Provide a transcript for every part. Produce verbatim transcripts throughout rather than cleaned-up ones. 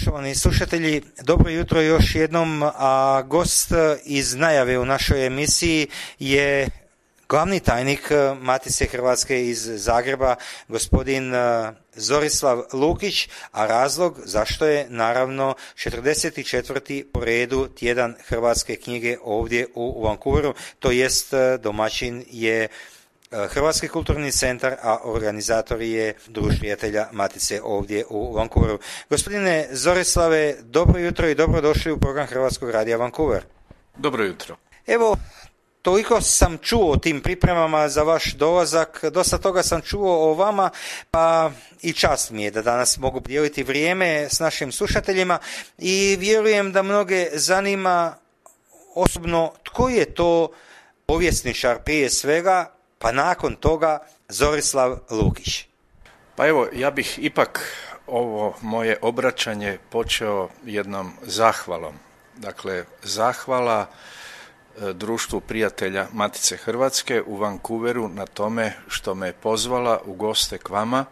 Poštovani slušatelji, dobro jutro još jednom, a gost iz najave u našoj emisiji je glavni tajnik Matice Hrvatske iz Zagreba, gospodin Zorislav Lukić, a razlog zašto je naravno četrdeset četvrti po redu tjedan hrvatske knjige ovdje u Vancouveru, to jest domaćin je Hrvatski kulturni centar, a organizator je Društvo prijatelja Matice ovdje u Vancouveru. Gospodine Zorislave, dobro jutro i dobrodošli u program Hrvatskog radija Vancouver. Dobro jutro. Evo, toliko sam čuo o tim pripremama za vaš dolazak, dosta toga sam čuo o vama, pa i čast mi je da danas mogu podijeliti vrijeme s našim slušateljima i vjerujem da mnoge zanima osobno tko je to povjesničar prije svega, pa nakon toga Zorislav Lukić. Pa evo, ja bih ipak ovo moje obraćanje počeo jednom zahvalom. Dakle, zahvala Društvu prijatelja Matice Hrvatske u Vancouveru na tome što me je pozvala u goste k vama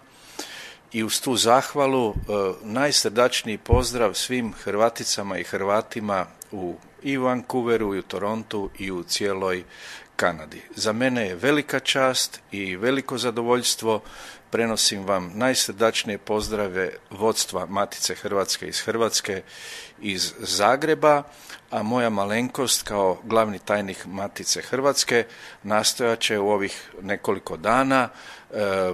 i uz tu zahvalu najsrdačniji pozdrav svim Hrvaticama i Hrvatima u i u Vancouveru i u Torontu i u cijeloj Kanadi. Za mene je velika čast i veliko zadovoljstvo. Prenosim vam najsrdačnije pozdrave vodstva Matice Hrvatske iz Hrvatske, iz Zagreba, a moja malenkost kao glavni tajnik Matice Hrvatske nastojat će u ovih nekoliko dana e, e,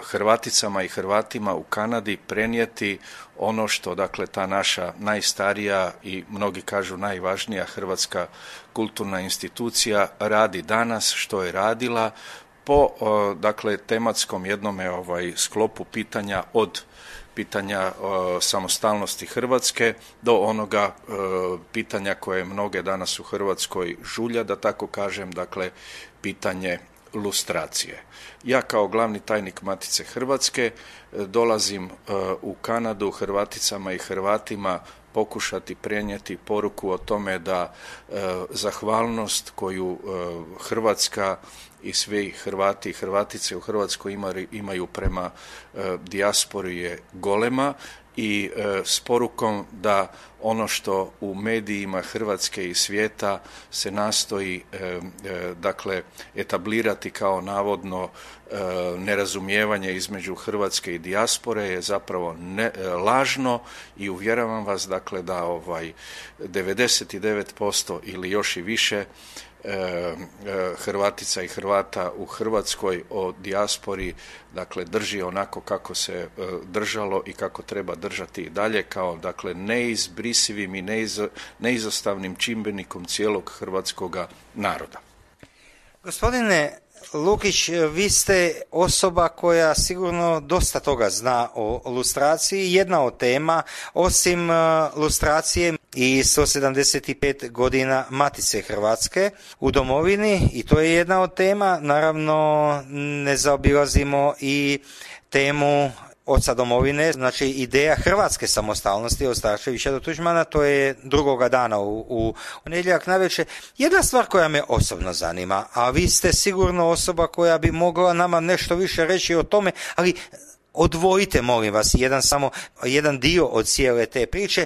Hrvaticama i Hrvatima u Kanadi prenijeti ono što, dakle, ta naša najstarija i mnogi kažu najvažnija hrvatska kulturna institucija radi danas, što je radila po, dakle, tematskom jednome ovaj, sklopu pitanja od pitanja o, samostalnosti Hrvatske do onoga e, pitanja koje mnoge danas u Hrvatskoj žulja, da tako kažem, dakle, pitanje lustracije. Ja kao glavni tajnik Matice Hrvatske e, dolazim e, u Kanadu Hrvaticama i Hrvatima pokušati prenijeti poruku o tome da e, zahvalnost koju e, Hrvatska i svi Hrvati i Hrvatice u Hrvatskoj imaju, imaju prema e, dijaspori je golema i e, s porukom da ono što u medijima Hrvatske i svijeta se nastoji e, e, dakle etablirati kao navodno e, nerazumijevanje između Hrvatske i dijaspore je zapravo ne, e, lažno i uvjeravam vas, dakle, da ovaj devedeset devet posto ili još i više Hrvatica i Hrvata u Hrvatskoj o dijaspori, dakle, drži onako kako se držalo i kako treba držati i dalje, kao, dakle, neizbrisivim i neiz, neizostavnim čimbenikom cijelog hrvatskoga naroda. Gospodine Lukić, vi ste osoba koja sigurno dosta toga zna o lustraciji. Jedna od tema, osim lustracije i sto sedamdeset pet godina Matice Hrvatske u domovini, i to je jedna od tema. Naravno, ne zaobilazimo i temu oca domovine, znači ideja hrvatske samostalnosti od Starčevića do Tuđmana, to je drugoga dana u, u nedjeljak navečer. Jedna stvar koja me osobno zanima, a vi ste sigurno osoba koja bi mogla nama nešto više reći o tome, ali odvojite, molim vas, jedan samo jedan dio od cijele te priče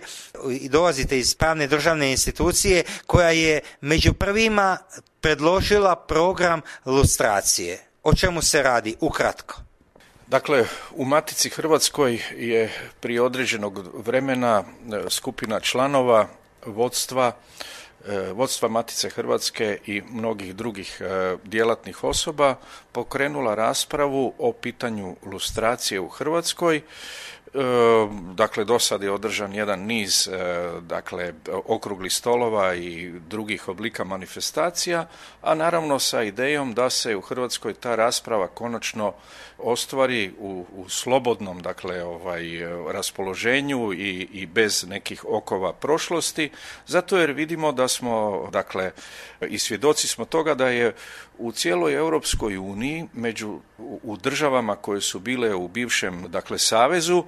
i dolazite iz pravne državne institucije koja je među prvima predložila program lustracije. O čemu se radi? Ukratko. Dakle, u Matici Hrvatskoj je prije određenog vremena skupina članova vodstva, vodstva Matice Hrvatske i mnogih drugih djelatnih osoba pokrenula raspravu o pitanju lustracije u Hrvatskoj. Dakle, do sad je održan jedan niz, dakle, okruglih stolova i drugih oblika manifestacija, a naravno sa idejom da se u Hrvatskoj ta rasprava konačno ostvari u, u slobodnom, dakle, ovaj, raspoloženju i, i bez nekih okova prošlosti, zato jer vidimo da smo, dakle, i svjedoci smo toga da je u cijeloj Europskoj uniji, među, u državama koje su bile u bivšem, dakle, savezu,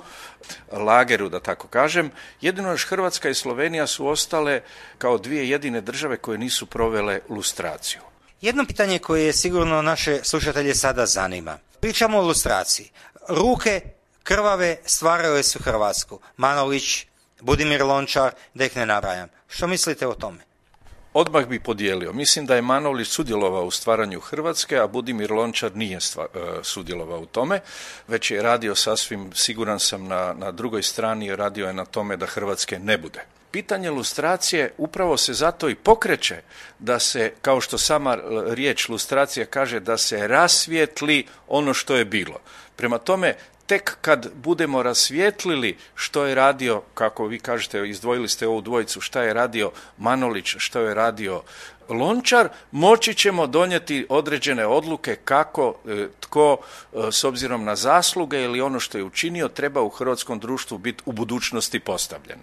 lageru, da tako kažem, jedino još Hrvatska i Slovenija su ostale kao dvije jedine države koje nisu provele lustraciju. Jedno pitanje koje je sigurno naše slušatelje sada zanima. Pričamo o lustraciji. Ruke krvave stvarale su Hrvatsku. Manolić, Budimir Lončar, da ih ne nabrajam. Što mislite o tome? Odmah bi podijelio. Mislim da je Manolić sudjelovao u stvaranju Hrvatske, a Budimir Lončar nije stva, sudjelovao u tome, već je radio sasvim, siguran sam, na, na drugoj strani, radio je na tome da Hrvatske ne bude. Pitanje lustracije upravo se zato i pokreće da se, kao što sama riječ lustracija kaže, da se rasvijetli ono što je bilo. Prema tome, tek kad budemo rasvijetlili što je radio, kako vi kažete, izdvojili ste ovu dvojicu, šta je radio Manolić, što je radio Lončar, moći ćemo donijeti određene odluke kako tko s obzirom na zasluge ili ono što je učinio treba u hrvatskom društvu biti u budućnosti postavljen.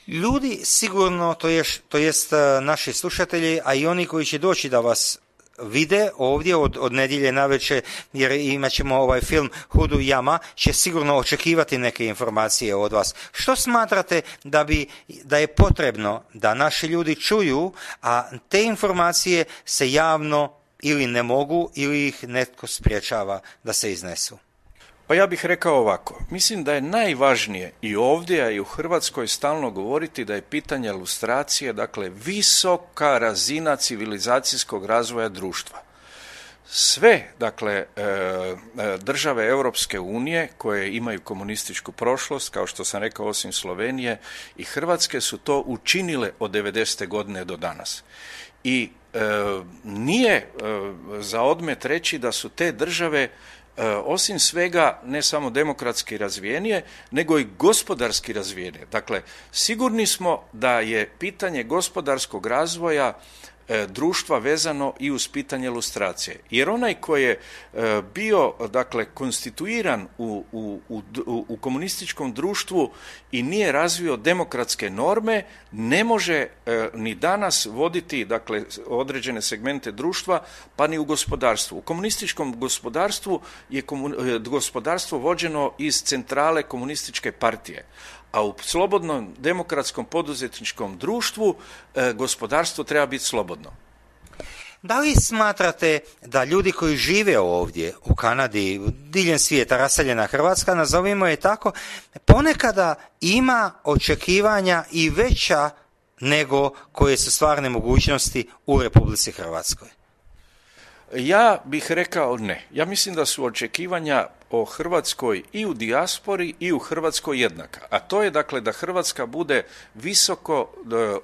Ljudi sigurno, to jest, to jest naši slušatelji, a i oni koji će doći da vas vide ovdje od, od nedjelje navečer, jer imat ćemo ovaj film Hudu jama, će sigurno očekivati neke informacije od vas. Što smatrate da bi, da je potrebno da naši ljudi čuju, a te informacije se javno ili ne mogu ili ih netko spriječava da se iznesu? Pa ja bih rekao ovako, mislim da je najvažnije i ovdje, a i u Hrvatskoj stalno govoriti da je pitanje lustracije, dakle, visoka razina civilizacijskog razvoja društva. Sve, dakle, države Europske unije koje imaju komunističku prošlost, kao što sam rekao, osim Slovenije i Hrvatske, su to učinile od devedesete godine do danas. I e, nije e, za odmet reći da su te države osim svega ne samo demokratski razvijenije, nego i gospodarski razvijenije. Dakle, sigurni smo da je pitanje gospodarskog razvoja društva vezano i uz pitanje lustracije. Jer onaj koji je bio, dakle, konstituiran u, u, u, u komunističkom društvu i nije razvio demokratske norme, ne može ni danas voditi, dakle, određene segmente društva, pa ni u gospodarstvu. U komunističkom gospodarstvu je komun, gospodarstvo vođeno iz centrale komunističke partije. A u slobodnom demokratskom poduzetničkom društvu e, gospodarstvo treba biti slobodno. Da li smatrate da ljudi koji žive ovdje u Kanadi, diljem svijeta, raseljena Hrvatska, nazovimo je tako, ponekada ima očekivanja i veća nego koje su stvarne mogućnosti u Republici Hrvatskoj? Ja bih rekao ne. Ja mislim da su očekivanja o Hrvatskoj i u dijaspori i u Hrvatskoj jednaka. A to je, dakle, da Hrvatska bude visoko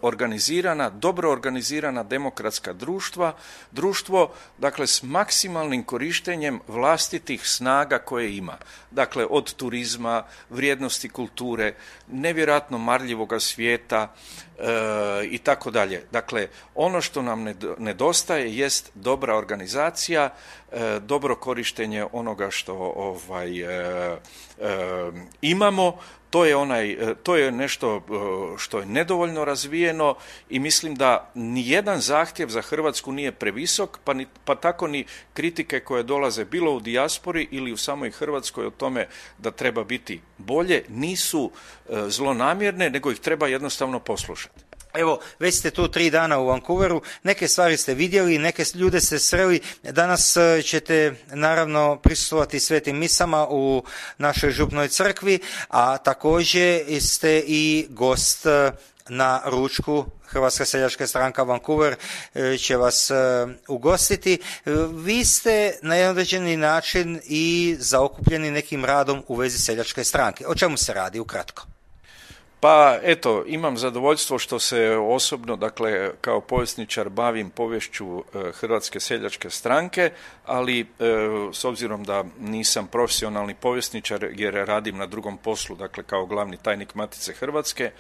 organizirana, dobro organizirana demokratska društva, društvo, dakle, s maksimalnim korištenjem vlastitih snaga koje ima. Dakle, od turizma, vrijednosti kulture, nevjerojatno marljivoga svijeta e, i tako dalje. Dakle, ono što nam nedostaje jest dobra organizacija, e, dobro korištenje onoga što ovaj, e, e, imamo. To je, onaj, to je nešto što je nedovoljno razvijeno i mislim da nijedan zahtjev za Hrvatsku nije previsok, pa, ni, pa tako ni kritike koje dolaze bilo u dijaspori ili u samoj Hrvatskoj o tome da treba biti bolje, nisu zlonamjerne, nego ih treba jednostavno poslušati. Evo, već ste tu tri dana u Vancouveru, neke stvari ste vidjeli, neke ljude ste sreli, danas ćete naravno prisustvovati svetim misama u našoj župnoj crkvi, a također ste i gost na ručku. Hrvatska seljačka stranka Vancouver će vas ugostiti. Vi ste na jedan određeni način i zaokupljeni nekim radom u vezi seljačke stranke. O čemu se radi ukratko? Pa eto, imam zadovoljstvo što se osobno, dakle, kao povjesničar bavim poviješću Hrvatske seljačke stranke, ali e, s obzirom da nisam profesionalni povjesničar jer radim na drugom poslu, dakle kao glavni tajnik Matice Hrvatske, e,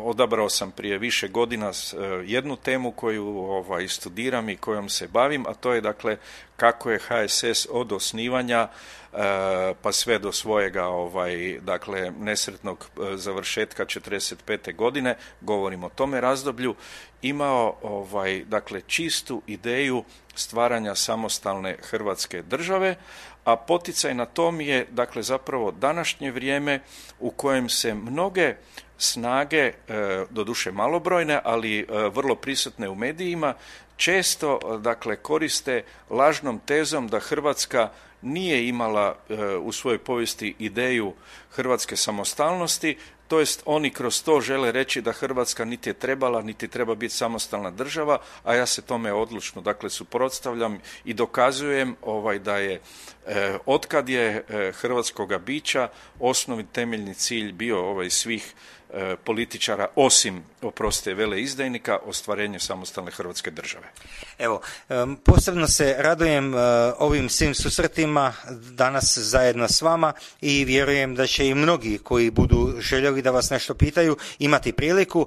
odabrao sam prije više godina e, jednu temu koju ovaj, studiram i kojom se bavim, a to je, dakle, kako je H S S od osnivanja pa sve do svojega ovaj, dakle, nesretnog završetka četrdeset pete godine, govorim o tome razdoblju, imao ovaj, dakle, čistu ideju stvaranja samostalne Hrvatske države, a poticaj na tom je, dakle, zapravo današnje vrijeme u kojem se mnoge snage, doduše malobrojne, ali vrlo prisutne u medijima, često, dakle, koriste lažnom tezom da Hrvatska nije imala u svojoj povijesti ideju hrvatske samostalnosti, to jest oni kroz to žele reći da Hrvatska niti je trebala, niti treba biti samostalna država, a ja se tome odlučno dakle suprotstavljam i dokazujem ovaj da je eh, otkad je eh, hrvatskoga bića osnovni temeljni cilj bio ovaj svih eh, političara, osim, oprostite, veleizdajnika, ostvarenje samostalne Hrvatske države. Evo, posebno se radujem ovim svim susretima danas zajedno s vama i vjerujem da će i mnogi koji budu željeli da vas nešto pitaju imati priliku.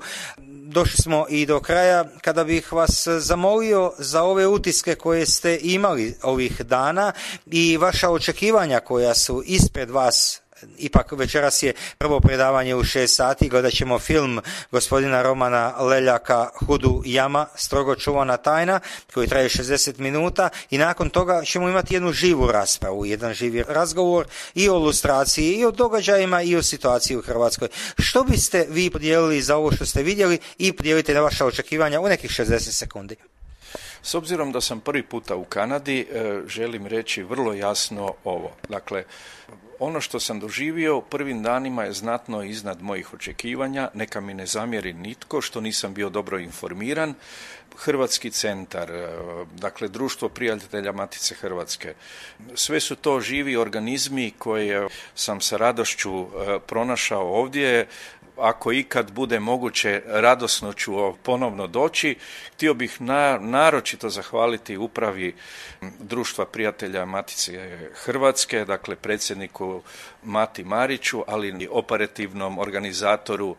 Došli smo i do kraja kada bih vas zamolio za ove utiske koje ste imali ovih dana i vaša očekivanja koja su ispred vas. Ipak večeras je prvo predavanje u šest sati, gledat ćemo film gospodina Romana Leljaka Hudu Jama, strogo čuvana tajna, koji traje šezdeset minuta i nakon toga ćemo imati jednu živu raspravu, jedan živi razgovor i o lustraciji, i o događajima, i o situaciji u Hrvatskoj. Što biste vi podijelili za ovo što ste vidjeli i podijelite na vaša očekivanja u nekih šezdeset sekundi? S obzirom da sam prvi puta u Kanadi, želim reći vrlo jasno ovo. Dakle, ono što sam doživio u prvim danima je znatno iznad mojih očekivanja, neka mi ne zamjeri nitko što nisam bio dobro informiran. Hrvatski centar, dakle Društvo prijatelja Matice Hrvatske, sve su to živi organizmi koje sam sa radošću pronašao ovdje. Ako ikad bude moguće, radosno ću ponovno doći. Htio bih na, naročito zahvaliti upravi Društva prijatelja Matice Hrvatske, dakle predsjedniku Mati Mariću, ali i operativnom organizatoru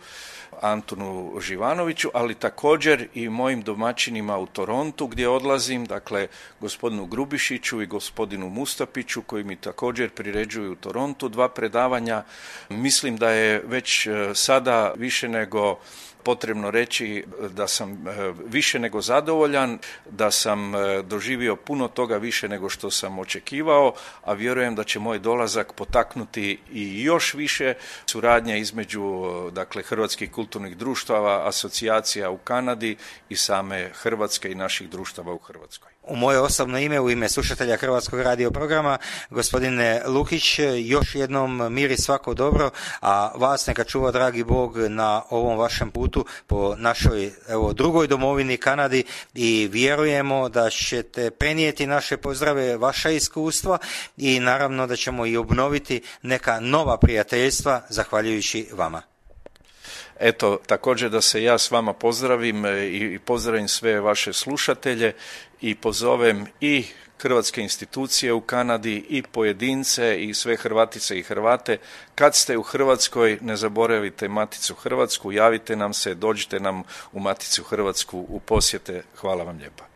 Antunu Živanoviću, ali također i mojim domaćinima u Torontu gdje odlazim, dakle gospodinu Grubišiću i gospodinu Mustapiću koji mi također priređuju u Torontu dva predavanja. Mislim da je već sada više nego potrebno reći da sam više nego zadovoljan, da sam doživio puno toga više nego što sam očekivao, a vjerujem da će moj dolazak potaknuti i još više suradnje između dakle hrvatskih kulturnih društava, asocijacija u Kanadi i same Hrvatske i naših društava u Hrvatskoj. U moje osobno ime, u ime slušatelja Hrvatskog radio programa, gospodine Lukić, još jednom mir i svako dobro, a vas neka čuva dragi Bog na ovom vašem putu po našoj evo, drugoj domovini Kanadi i vjerujemo da ćete prenijeti naše pozdrave, vaša iskustva i naravno da ćemo i obnoviti neka nova prijateljstva zahvaljujući vama. Eto, također da se ja s vama pozdravim i pozdravim sve vaše slušatelje i pozovem i hrvatske institucije u Kanadi i pojedince i sve Hrvatice i Hrvate. Kad ste u Hrvatskoj, ne zaboravite Maticu Hrvatsku, javite nam se, dođite nam u Maticu Hrvatsku u posjete. Hvala vam lijepa.